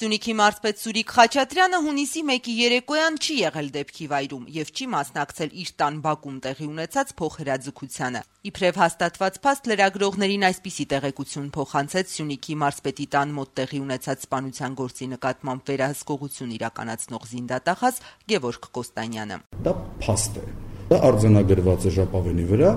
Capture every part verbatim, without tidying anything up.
Սյունիքի մարզպետ Սուրիկ Խաչատրյանը հունիսի մեկի երեկոյան չի եղել դեպքի վայրում եւ չի մասնակցել իր տան բակում տեղի ունեցած փոխհրաձգությանը։ Իբրև հաստատված փաստ լրագրողներին այսպիսի տեղեկություն փոխանցեց Սյունիքի մարզպետի տան մոտ տեղի ունեցած սպանության գործի նկատմամբ վերահսկողություն իրականացնող զինդատախազ Գևորգ Կոստանյանը։ Դա փաստ է։ Դա արձանագրված է ժապավենի վրա։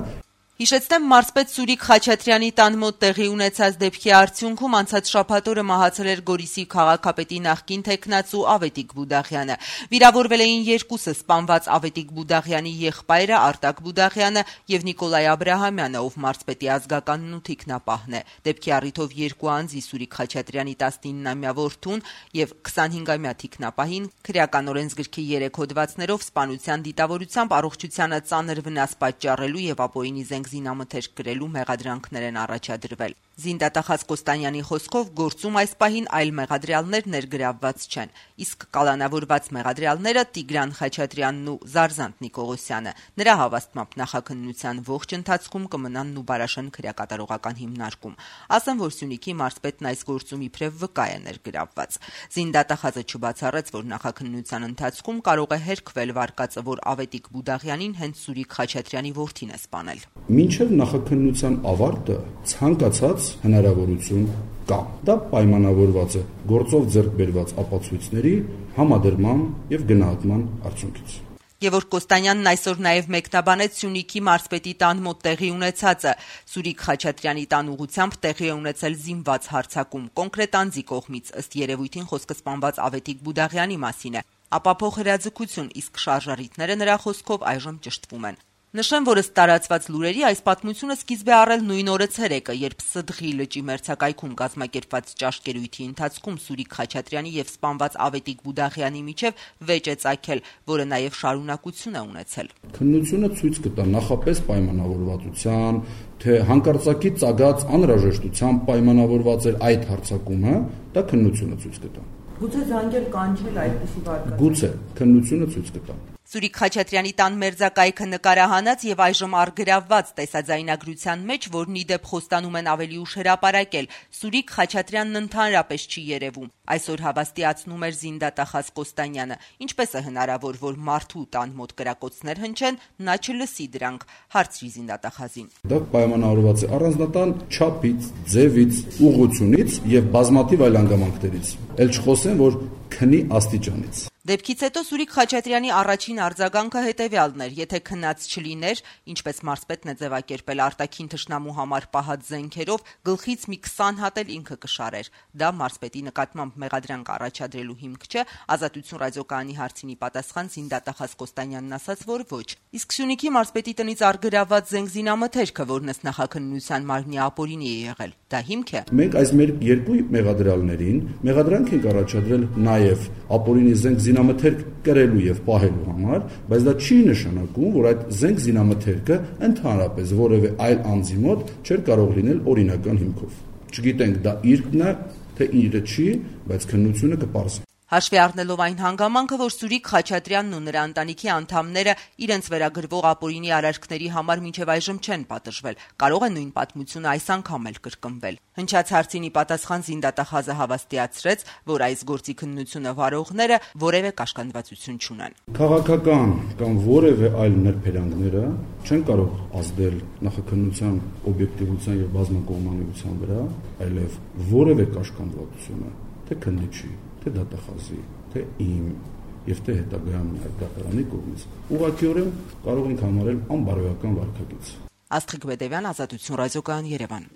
Հիշեցնեմ, մարզպետ Սուրիկ Խաչատրյանի տան մոտ տեղի ունեցած դեպքի արդյունքում անցած շաբաթօրը մահացել էր Գորիսի քաղաքապետի նախկին թեկնածու Ավետիք Բուդաղյանը։ Վիրավորվել էին երկուսը՝ սպանված Ավետիք Բուդաղյանի եղբայրը Արտակ Բուդաղյանը եւ Նիկոլայ Աբրահամյանը, ով մարզպետի ազգականն ու թիկնապահն է։ Դեպքի առիթով երկու անձի՝ Սուրիկ Խաչատրյանի տասնիննամյա որդուն եւ քսանհինգամյա թիկնապահին քրեական օրենսգրքի երեք հոդվածներով սպանության դիտավորությամբ առողջությանը ծանր վնաս պատճառելու եւ ապօրինի զենք զինամթերք գրելու մեղադրանքներ են առաջադրվել։ Զինդատախազ Կոստանյանի խոսքով գործում այս պահին այլ մեղադրյալներ ներգրավված չեն, իսկ կալանավորված մեղադրյալները Տիգրան Խաչատրյանն ու Զարզանտ Նիկողոսյանը։ Նրա հավաստմամբ նախաքննության ողջ ընթացքում կմնան Նուբարաշեն քրեակատարողական հիմնարկում։ Ասեմ, որ Սյունիքի մարզպետն այս գործում իբրև վկա է ներգրավված։ Զինդատախազը չբացառեց, որ նախաքննության ընթացքում կարող է հերքվել վարկածը, որ Ավետիք Բուդաղյանին հենց Սուրիկ Խաչատրյանի որդին է սպանել։ Մինչև նախաքննության ավարտը ցանկացած հնարավորություն կա։ Դա պայմանավորված է գործով ձեռք բերված ապացույցների համադրման եւ գնահատման արդյունքից։ Գևորգ Կոստանյանն այսօր նաև մեկնաբանեց Սյունիքի մարզպետի տան մոտ տեղի ունեցածը։ Սուրիկ Խաչատրյանի տան ուղղությամբ տեղի է ունեցել զինված հարձակում կոնկրետ անձի կողմից, ըստ երևույթին խոսքը սպանված Ավետիք Բուդաղյանի մասին է։ Ապա փոխհրաձգություն, իսկ շարժառիթները նրա խոսքով այժմ ճշտվում են։ Նշեմ, որ ըստ տարածված լուրերի այս պատմությունը սկիզբ է առել նույն օրը ցերեկը, երբ Սդղի լճի մերձակայքում կազմակերպված ճաշկերույթի ընթացքում Սուրիկ Խաչատրյանի եւ սպանված Ավետիք Բուդաղյանի միջև վեճ է ծագել, որը նաեւ շարունակություն է ունեցել։ Քննությունը ցույց կտա նախապես պայմանավորվածության, թե հանկարծակի ծագած անհրաժեշտությամբ պայմանավորված էր այդ հարձակումը, դա քննությունը ցույց կտա։ Գուցե զանգել կանչել այդպիսի վարկածը։ Գուցե քննությունը ցույց կտա։ Սուրիկ Խաչատրյանի տան մերձակայքը նկարահանած եւ այժմ առգրավված տեսաձայնագրության մեջ, որն ի դեպ խոստանում են ավելի ուշ հրապարակել, Սուրիկ Խաչատրյանն ընդհանրապես չի երևում։ Այսօր հավաստիացնում էր զինդատախազ Կոստանյանը։ Ինչպես է հնարավոր, որ մարդու տան մոտ կրակոցներ հնչեն, նա չլսի դրանք, հարցրի զինդատախազին։ Դա պայմանավորված է առանձնատան չափից, ձևից, ուղղությունից եւ բազմաթիվ այլ հանգամանքներից։ Էլ չխոսեմ, որ քնի աստիճանից։ Դեպքից հետո Սուրիկ Խաչատրյանի առաջին արձագանքը հետևյալն էր. եթե քնած չլիներ, ինչպես մարզպետն է ձևակերպել արտաքին թշնամու համար պահած զենքերով, գլխից մի քսան հատ էլ ինքը կշարեր։ Դա մարզպետի նկատմամբ մեղադրանք առաջադրելու հիմք չէ։ Ազատություն ռադիոկայանի հարցինի պատասխան զինդատախազ Կոստանյանն ասաց, որ ոչ։ Իսկ Սյունիքի մարզպետի տնից առգրավված զենք զինամթերքը, որն ըստ նախաքննության մարմնի ապօրինի է եղել, դա հիմք է։ Մենք այս մեր երկու մեղադրյալներին մեղադրանք ենք առաջադրել նաև ապօրինի զենք զինամթերք կրելու եւ պահելու համար, բայց դա չի նշանակում, որ այդ զենք զինամթերքը ընդհանրապես որևէ այլ անձի մոտ չէր կարող լինել օրինական հիմքով։ Չգիտենք դա իրքն է, թե իրը չի, բայց քննությունը կպարզի։ Հաշվի առնելով այն հանգամանքը, որ Սուրիկ Խաչատրյանն ու նրա ընտանիքի անդամները իրենց վերագրվող ապօրինի արարքների համար մինչև այժմ չեն պատժվել, կարող է նույն պատմությունը այս անգամ էլ կրկնվել։ Հնչած հարցինի պատասխան զինդատախազը հավաստիացրեց, որ այս գործի քննությունը վարողները որևէ կաշկանդվածություն չունեն։ Քաղաքական կամ որևէ այլ ներբերանգները չեն կարող ազդել նախաքննության օբյեկտիվության եւ բազմակողմանիության վրա, այլև որևէ կաշկանդվածությունը, թե քննիչի, թե դատախազի, թե իմ եւ թե հետագայում այդ դատարանի կողմից ուղղակիորեն կարող ենք համարել անբարոյական վարքագիծ։ Աստղիկ Բեդևյան, Ազատություն ռադիոկայան, Երևան։